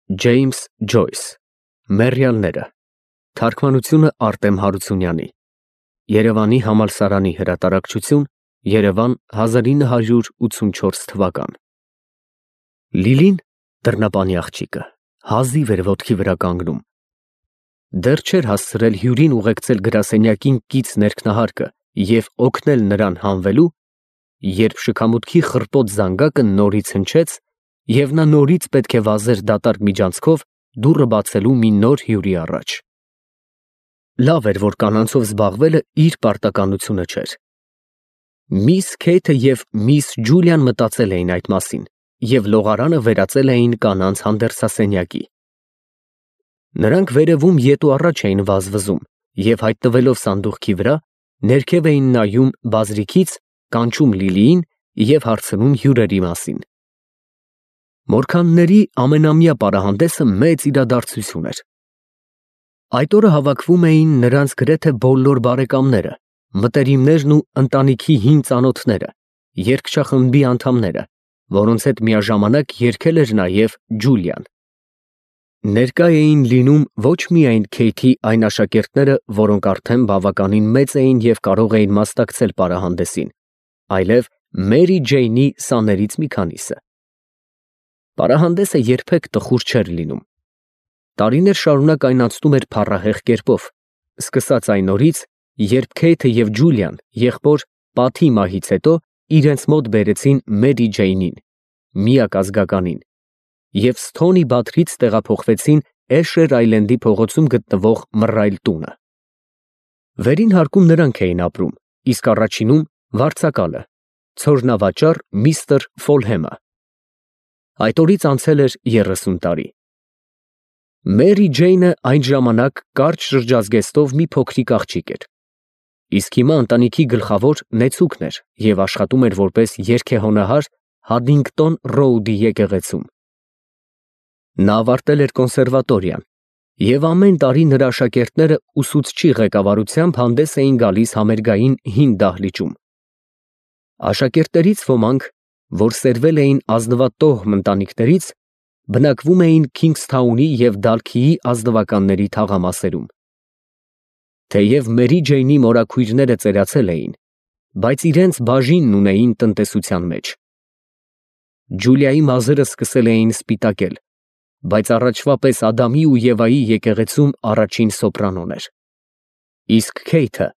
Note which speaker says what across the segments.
Speaker 1: Ջեյմս Ջոյս Մեռյալները Թարգմանությունը Արտեմ Հարությունյանի Երևանի համալսարանի հրատարակչություն Երևան 1984 թվական Լիլին դռնապանի աղջիկը հազիվ էր ոտքի վրա կանգնում դեռ չէր հասցրել հյուրին ուղեկցել գրասենյակին կից ներքնահարկը և օգնել նրան հանվելու երբ շքամուտքի խռպոտ զանգակը նորից հնչեց և նա նորից պետք է վազեր դատարկ միջանցքով դուռը բացելու մի նոր հյուրի առաջ լավ էր որ կանանցով զբաղվելը իր պարտականությունը չէր միս Քեյթը և միս Ջուլիան մտածել էին այդ մասին և լողարանը վերածել էին կանանց հանդերձասենյակի նրանք վերևում ետ ու առաջ էին վազվզում և հայտնվելով սանդուղքի վրա ներքև էին նայում բազրիքից կանչում Լիլիին և հարցնում հյուրերի մասին Մորքանների ամենամյա պարահանդեսը մեծ իրադարձություն էր այդ օրը հավաքվում էին նրանց գրեթե բոլոր բարեկամները մտերիմներն ու ընտանիքի հին ծանոթները երգչախմբի անդամները որոնց հետ միաժամանակ երգել էր նաև Ջուլիան ներկա էին լինում ոչ միայն Քեյթի այն աշակերտները, որոնք արդեն բավականին մեծ էին և կարող էին մասնակցել պարահանդեսին, այլև Մերի Ջեյնի սաներից մի քանիսը։ Պարահանդեսը երբեք տխուր չէր լինում։ Տարիներ շարունակ այն անցնում էր փառահեղ կերպով, սկսած այն օրից, երբ Քեյթը և Ջուլիան եղբոր Պաթի մահից հետո իրենց մոտ բերեցին Մերի Ջեյնին, միակ ազգականին, և Սթոնի Բաթրից տեղափոխվեցին Էշեր Այլենդի փողոցում գտնվող Մռայլ տունը։ Վերին հարկում նրանք էին ապրում, իսկ առաջինում վարձակալը, ցորնավաճառ միստր Ֆոլհեմը։ Այդ օրից անցել էր 30 տարի։ Մերի Ջեյնը այն ժամանակ կարճ շրջազգեստով մի փոքրիկ աղջիկ էր, իսկ հիմա ընտանիքի գլխավոր նեցուկն էր և աշխատում էր որպես երգեհոնահար Հադինգտոն Ռոուդի եկեղեցում։ Նա ավարտել էր կոնսերվատորիան և ամեն տարի նրա աշակերտները ուսուցչի ղեկավարությամբ հանդես էին գալիս համերգային հին դահլիճում։ Աշակերտներից ոմանք, որ սերվել էին ազնվատոհմ ընտանիքներից, բնակվում էին Քինգսթաունի և Դալքիի ազնվականների թաղամասերում։ Թեև Մերի Ջեյնի մորաքույրները ծերացել էին, բայց իրենց բաժինն ունեին տնտեսության մեջ։ Ջուլիայի մազերը սկսել էին սպիտակել, բայց առաջվա պես Ադամի ու Եվայի եկեղեցում առաջին սոպրանոն էր։ Իսկ Քեյթը,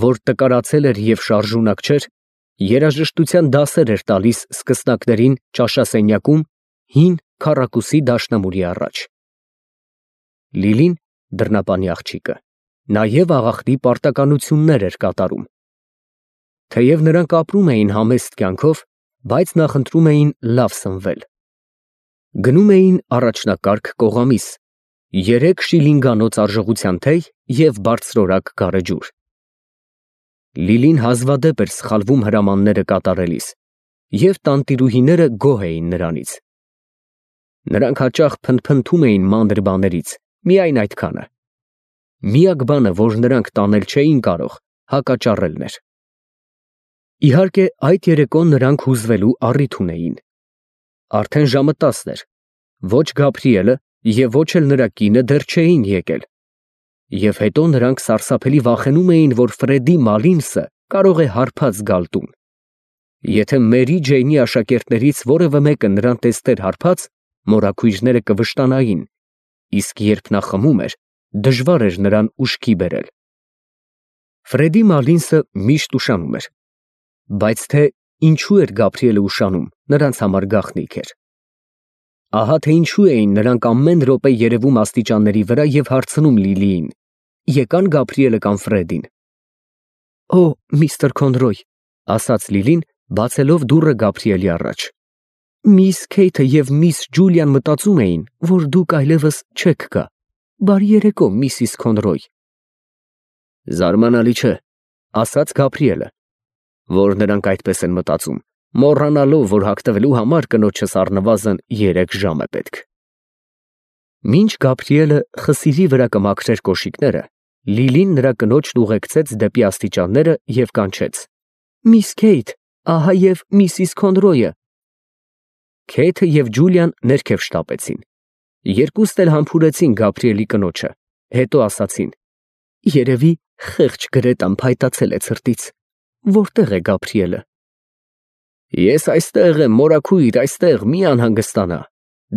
Speaker 1: որ տկարացել էր և շարժունակ չէր, երաժշտության դասեր էր տալիս սկսնակներին ճաշասենյակում հին քառակուսի դաշնամուրի առաջ։ Լիլին, դռնապանի աղջիկը, նաև աղախնի պարտականություններ էր կատարում։ Թեև նրանք ապրում էին համեստ կյանքով, բայց նախընտրում էին լավ սնվել։ Գնում էին առաջնակարգ կողամիս, 3 շիլինգանոց արժողության թեյ և բարձրորակ գարեջուր։ Լիլին հազվադեպ էր սխալվում հրամանները կատարելիս, և տանտիրուհիները գոհ էին նրանից։ Նրանք հաճախ փնթփնթում էին մանր բաներից, միայն այդքանը։ Միակ բանը, որ նրանք տանել չէին կարող, հակաճառելն էր։ Իհարկե, այդ երեկո նրանք հուզվելու առիթ ունեին։ Արդեն ժամը 10 էր, ոչ Գաբրիելը և ոչ էլ նրա կինը դեռ չէին եկել։ Եվ հետո նրանք սարսափելի վախենում էին, որ Ֆրեդի Մալինսը կարող է հարբած գալ տուն։ Եթե Մերի Ջեյնի աշակերտներից որևէ մեկը նրան տեսներ հարբած, մորաքույրները կվշտանային, իսկ երբ նա խմում էր, դժվար էր նրան ուշքի բերել։ Ֆրեդի Մալինսը միշտ ուշանում էր, բայց թե ինչու էր Գաբրիելը ուշանում, նրանց համար գաղտնիք էր։ Ահա թե ինչու էին նրանք ամեն րոպե երևում աստիճանների վրա և հարցնում Լիլիին. եկան Գաբրիելը կամ Ֆրեդին։ Օ, միստր Քոնրոյ, ասաց Լիլին, բացելով դուռը Գաբրիելի առաջ։ Միս Քեյթը և միս Ջուլիան մտածում էին, որ դուք այլևս չեք գա։ Բարի երեկո, միսիս Քոնրոյ։ Զարմանալի չէ, ասաց Գաբրիելը, որ նրանք այդպես են մտածում, մոռանալով, որ հագնվելու համար կնոջս առնվազն 3 ժամ է պետք։ Մինչ Գաբրիելը խսիրի վրա կմաքրեր կոշիկները, Լիլին նրա կնոջն ուղեկցեց դեպի աստիճանները և կանչեց. Միս Քեյթ, ահա և միսիս Քոնրոյը։ Քեյթը և Ջուլիան ներքև շտապեցին, Երկուստ էլ համբուրեցին Գաբրիելի կնոջը, հետո ասացին. երևի խեղճ Գրետան փայտացել է ցրտից, որտե՞ղ է Գաբրիելը։ Ես այստեղ եմ, մորաքույր, այստեղ, մի անհանգստանա,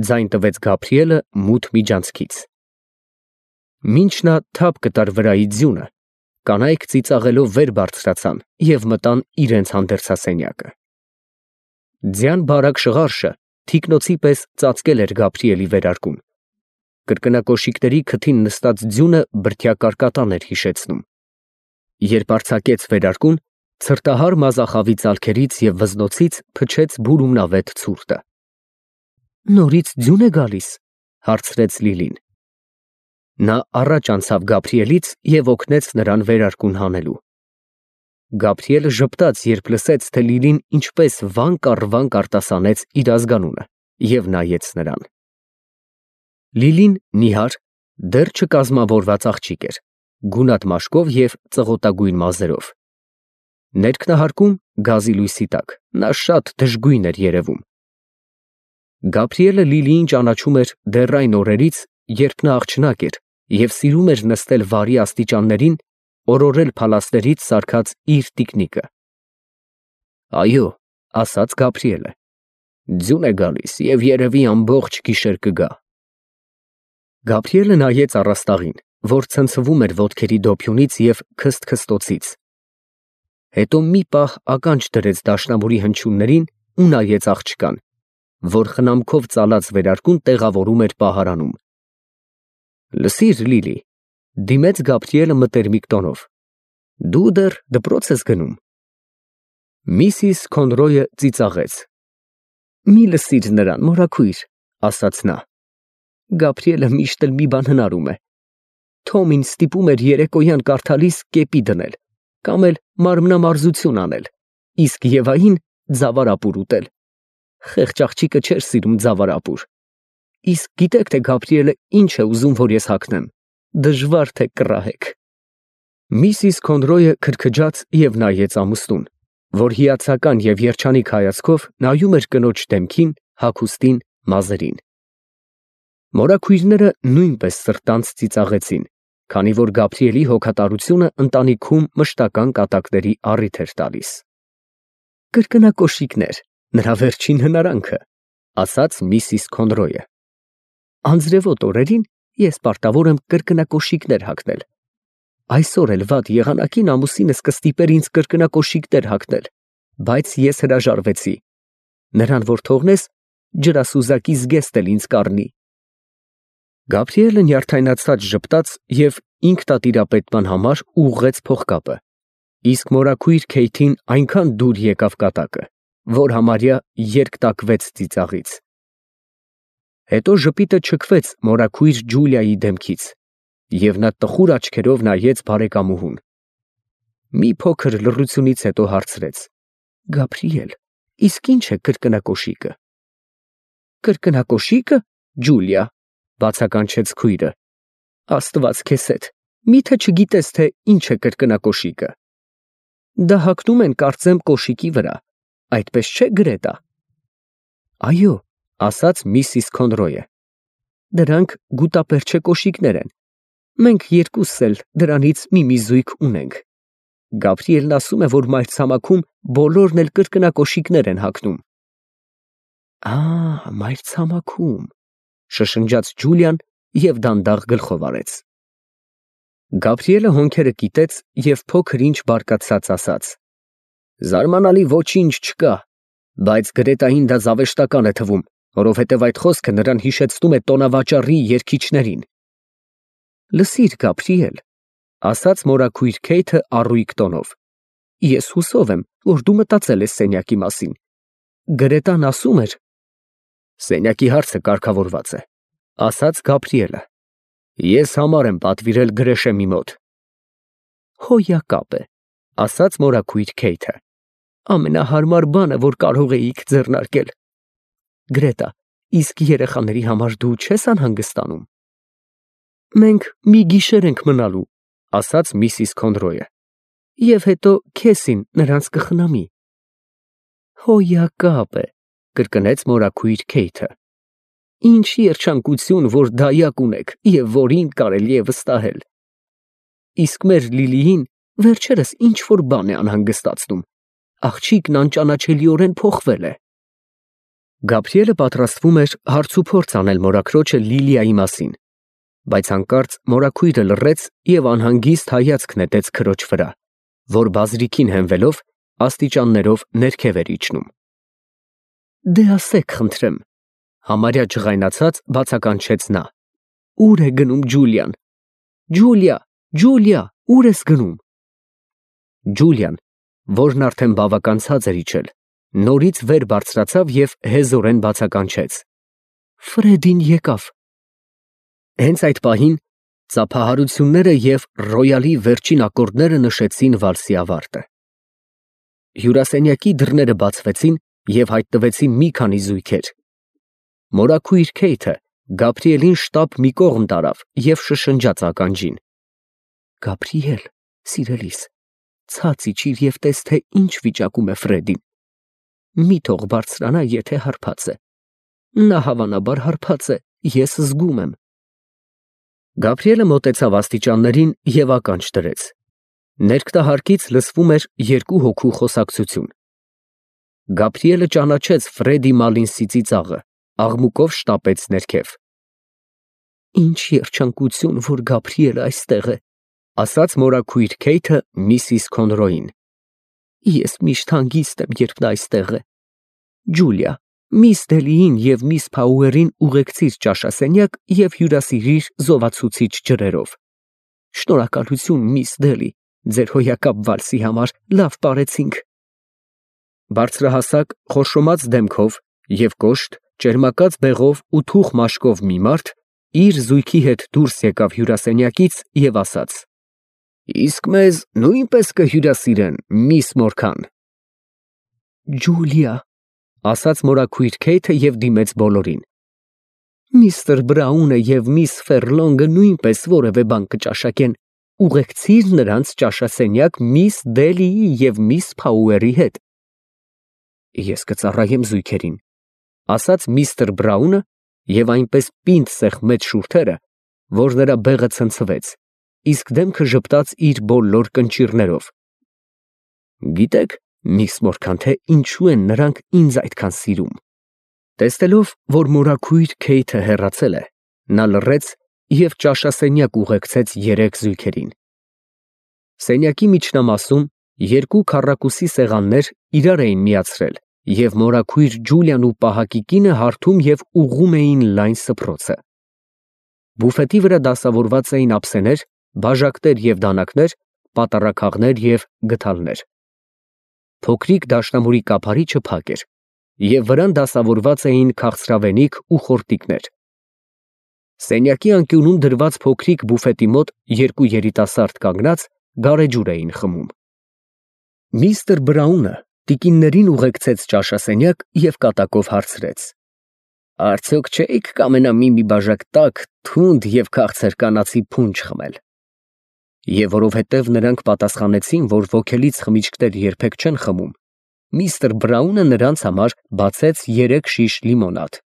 Speaker 1: ձայն տվեց Գաբրիելը մութ միջանցքից։ Մինչ նա թափ կտար վրայի ձյունը, կանայք ծիծաղելով վեր բարձրացան և մտան իրենց հանդերձասենյակը։ Ձյան բարակ շղարշը թիկնոցի պես ծածկել էր Գաբրիելի վերարկուն։ Կրկնակոշիկների քթին նստած ձյունը բրդյակարկատան էր հիշեցնում։ Երբ արձակեց վերարկուն, ցրտահար մազախավի ծալքերից և վզնոցից փչեց բուրումնավետ ցուրտը։ Նորից ձյուն է գալիս, հարցրեց Լիլին։ Նա առաջ անցավ Գաբրիելից և օգնեց նրան վերարկուն հանելու։ Գաբրիելը ժպտաց, երբ լսեց, թե Լիլին ինչպես վանք առ վանք արտասանեց իր ազգանունը և նայեց նրան։ Լիլին նիհար, դեռ չկազմավորված աղջիկ էր, գունատ մաշկով և ծղոտագույն մազերով։ Ներքնահարկում գազի լույսի տակ նա շատ դժգույն էր երևում։ Գաբրիելը Լիլիին ճանաչում էր դեռ այն օրերից, երբ նա աղջնակ էր և սիրում էր նստել վարի աստիճաններին, օրորել փալասներից սարքած իր տիկնիկը։ Այո, ասաց Գաբրիելը, ձյուն է գալիս և երևի ամբողջ գիշեր կգա։ Գաբրիելը նայեց առաստաղին, որ ցնցվում էր ոտքերի դոփյունից և քսթքստոցից։ Հետո մի պահ ականջ դրեց դաշնամուրի հնչյուններին ու նայեց աղջկան, որ խնամքով ծալած վերարկուն տեղավորում էր պահարանում։ Լսիր, Լիլի, դիմեց Գաբրիելը մտերմիկ տոնով, դու դեռ դպրոց ես գնում։ Միսիս Քոնրոյը ծիծաղեց։ Մի լսիր նրան, մորաքույր, ասաց նա։ Գաբրիելը միշտ էլ մի բան հնարում է։ Թոմին ստիպում էր երեկոյան կարդալիս կեպի դնել, կամ էլ մարմնամարզություն անել, իսկ Եվային ձավարապուր ուտել։ Խեղճ աղջիկը չէր սիրում ձավարապուր։ Իսկ գիտեք, թե Գաբրիելը ինչ է ուզում, որ ես հագնեմ, դժվար թե կռահեք։ Միսիս Քոնրոյը քրքջաց և նայեց ամուսնուն, որ հիացական և երջանիկ հայացքով նայում էր կնոջ դեմքին, հագուստին, մազերին։ Մորաքույրները նույնպես սրտանց ծիծաղեցին, քանի որ Գաբրիելի հոգատարությունը ընտանիքում մշտական կատակների առիթ էր տալիս։ Կրկնակոշիկներ, նրա վերջին հնարանքը, ասաց միսիս Քոնրոյը։ Անձրևոտ օրերին ես պարտավոր եմ կրկնակոշիկներ հագնել։ Այսօր էլ վատ եղանակին ամուսինս կստիպեր ինձ կրկնակոշիկներ հագնել, բայց ես հրաժարվեցի։ Նրան որ թողնես, ջրասուզակի զգեստ էլ ինձ կառնի։ Գաբրիելը նյարդայնացած ժպտաց և ինքնատիրապետման համար ուղղեց փողկապը, իսկ մորաքույր Քեյթին այնքան դուր եկավ կատակը, որ համարյա երկտակվեց ծիծաղից։ Հետո ժպիտը չքվեց մորաքույր Ջուլիայի դեմքից, և նա տխուր աչքերով նայեց բարեկամուհուն։ Մի փոքր լռությունից հետո հարցրեց. Գաբրիել, իսկ ինչ է կրկնակոշիկը։ Կրկնակոշիկը, Ջուլիա, բացականչեց քույրը։ Աստված քեզ հետ, միթե չգիտես, թե ինչ է կրկնակոշիկը։ Դա հագնում են, կարծեմ, կոշիկի վրա, այդպես չէ, Գրետա։ Այո, ասաց միսիս Քոնրոյը։ Դրանք գուտապերչե կոշիկներ են։ Մենք երկուսս էլ դրանից մի զույգ ունենք։ Գաբրիելն ասում է, որ մայրցամաքում բոլորն էլ կրկնակոշիկներ են հագնում։ Մայրցամաքում, շշնջաց Ջուլիան և դանդաղ գլխով արեց։ Գաբրիելը հոնքերը կիտեց և փոքր ինչ բարկացած ասաց. Զարմանալի ոչինչ չկա, բայց Գրետային դա զավեշտական է թվում, որովհետև այդ խոսքը նրան հիշեցնում է տոնավաճառի երգիչներին։ Լսիր, Գաբրիել, ասաց մորաքույր Քեյթը առույգ տոնով, ես հուսով եմ, որ դու մտածել ես սենյակի մասին։ Գրետան ասում էր… Սենյակի հարցը կարգավորված է, ասաց Գաբրիելը։ Ես համար եմ պատվիրել Գրեշեմի մոտ։ Հոյակապ է, ասաց մորաքույր Քեյթը։ Ամենահարմար բանը, որ կարող էիք ձեռնարկել։ Գրետա, իսկ երեխաների համար դու չես անհանգստանում։ Մենք մի գիշեր ենք մնալու, ասաց միսիս Քոնրոյը, և հետո քեսին նրանց կխնամի։ Հոյակապ է, կրկնեց մորաքույր Քեյթը։ Ինչ երջանկություն, որ դայակ ունեք և որին կարելի է վստահել։ Իսկ մեր Լիլիին վերջերս ինչ-որ բան է անհանգստացնում, աղջիկն անճանաչելիորեն փոխվել է։ Գաբրիելը պատրաստվում էր հարցուփորձ անել մորաքրոջը Լիլիայի մասին, բայց հանկարծ մորաքույրը լռեց և անհանգիստ հայացք նետեց քրոջ վրա, որ բազրիքին հենվելով աստիճաններով ներքև էր իջնում։ Դե ասեք, խնդրեմ, համարյա ջղայնացած բացականչեց նա. Ուր է գնում Ջուլիան։ Ջուլիա, Ջուլիա, ուր ես գնում։ Ջուլիան, որն արդեն բավական ցած էր իջել, նորից վեր բարձրացավ և հեզորեն բացականչեց. Ֆրեդին եկավ։ Հենց այդ պահին ծափահարությունները և ռոյալի վերջին ակորդները նշեցին վալսի ավարտը։ Հյուրասենյակի դռները բացվեցին և հայտնվեցին մի քանի զույգեր։ Մորաքույր Քեյթը Գաբրիելին շտապ մի կողմ տարավ և շշնջաց ականջին. Գաբրիել, սիրելիս, ցած իջիր և տես, թե ինչ վիճակում է Ֆրեդին։ Մի թող բարձրանա, եթե հարբած է։ Նա հավանաբար հարբած է, ես զգում եմ։ Գաբրիելը մոտեցավ աստիճաններին և ականջ դրեց։ Ներքտահարկից լսվում էր երկու հոգու խոսակցություն։ Գաբրիելը ճանաչեց Ֆրեդի Մալինսի ծիծաղը, աղմուկով շտապեց ներքև։ Ինչ երջանկություն, որ Գաբրիելը այստեղ է, ասաց մորաքույր Քեյթը միսիս Քոնրոյին։ Ես միշտ հանգիստ եմ, երբ նա այստեղ է։ Ջուլիա, միս Դելիին և միս Փաուերին ուղեկցիր ճաշասենյակ և հյուրասիրիր զովացուցիչ ջրերով։ Շնորհակալություն, միս Դելի, ձեր հոյակապ վալսի համար լավ պարեցինք։ Բարձրահասակ, խորշոմած դեմքով և կոշտ, ճերմակած բեղով ու թուխ մաշկով մի մարդ իր զույգի հետ դուրս եկավ հյուրասենյակից և ասաց. Իսկ մեզ նույնպես կհյուրասիրեն, միս Մորքան։ Ջուլիա, ասաց մորաքույր Քեյթը և դիմեց բոլորին։ Միստր Բրաունը և միս Ֆերլոնգը նույնպես որևէ բան կճաշակեն, ուղեկցիր նրանց ճաշասենյակ միս Դելիի և միս Փաուերի հետ։ Ես կծառայեմ զույգերին, ասաց միստր Բրաունը և այնպես պինդ սեղմեց շուրթերը, որ նրա բեղը ցնցվեց, իսկ դեմքը ժպտաց իր բոլոր կնճիռներով։ Գիտեք, միս Մորքան, թե ինչու են նրանք ինձ այդքան սիրում։ Տեսնելով, որ մորաքույր Քեյթը հեռացել է, նա լռեց և ճաշասենյակ ուղեկցեց երեք զույգերին։ Սենյակի միջնամասում երկու քառակուսի սեղաններ իրար էին միացրել, և մորաքույր Ջուլիան ու պահակի կինը հարթում և ուղղում էին լայն սփռոցը։ Բուֆետի վրա դասավորված էին ափսեներ, բաժակներ և դանակներ, պատառաքաղներ և գդալներ։ Փոքրիկ դաշնամուրի կափարիչը փակ էր, և վրան դասավորված էին քաղցրավենիք ու խորտիկներ։ Սենյակի անկյունում դրված փոքրիկ բուֆետի մոտ երկու երիտասարդ կանգնած գարեջուր էին խմում։ Միստր Բրաունը տիկիններին ուղեկցեց ճաշասենյակ և կատակով հարցրեց. Արդյոք չէիք կամենա մի բաժակ տաք, թունդ և քաղցր կանացի փունջ խմել։ Եվ որովհետև նրանք պատասխանեցին, որ ոգելից խմիչքներ երբեք չեն խմում, միստր Բրաունը նրանց համար բացեց 3 շիշ լիմոնադ։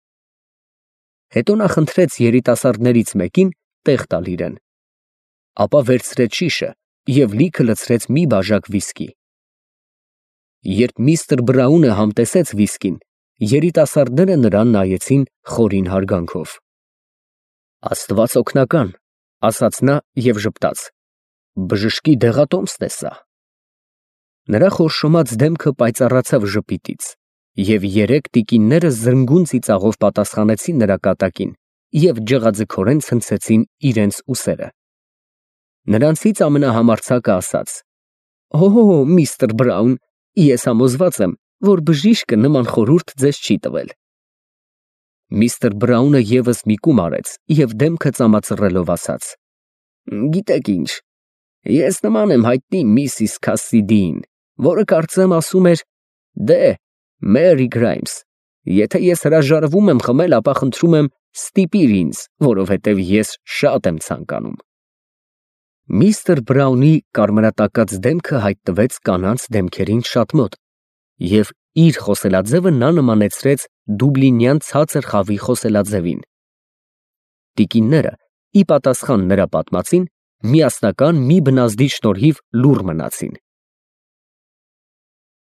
Speaker 1: Հետո նա խնդրեց երիտասարդներից մեկին տեղ տալ իրեն։ Ապա վերցրեց շիշը և լիքը լցրեց մի բաժակ վիսկի։ Երբ միստր Բրաունը համտեսեց վիսկին, երիտասարդները նրան նայեցին խորին հարգանքով։ Աստված օգնական, ասաց նա և ժպտաց. Բժշկի դեղատոմսն է սա։ Նրա խորշոմած դեմքը պայծառացավ ժպիտից, և երեք տիկինները զնգուն ծիծաղով պատասխանեցին նրա կատակին և ջղաձգորեն ցնցեցին իրենց ուսերը։ Նրանցից ամենահամարձակը ասաց. Օ, միստր Բրաուն, ես համոզված եմ, որ բժիշկը նման խորհուրդ ձեզ չի տվել։ Միստր Բրաունը ևս մի կում արեց և դեմքը ծամածռելով ասաց. Գիտեք ինչ, ես նման եմ հայտնի Միսիս Քասսիդիին, որը կարծեմ ասում էր. դե, Մերի Գրայմս, եթե ես հրաժարվում եմ խմել, ապա խնդրում եմ ստիպիր ինձ, որովհետև ես շատ եմ ցանկանում։ Միստր Բրաունի կարմրատակած դեմքը հայտնվեց կանանց դեմքերին շատ մոտ, և Իր խոսելաձևը նա նմանեցրեց դուբլինյան ցածր խավի խոսելաձևին։ Տիկինները ի պատասխան նրա պատմածին միասնական մի բնազդի շնորհիվ լուռ մնացին։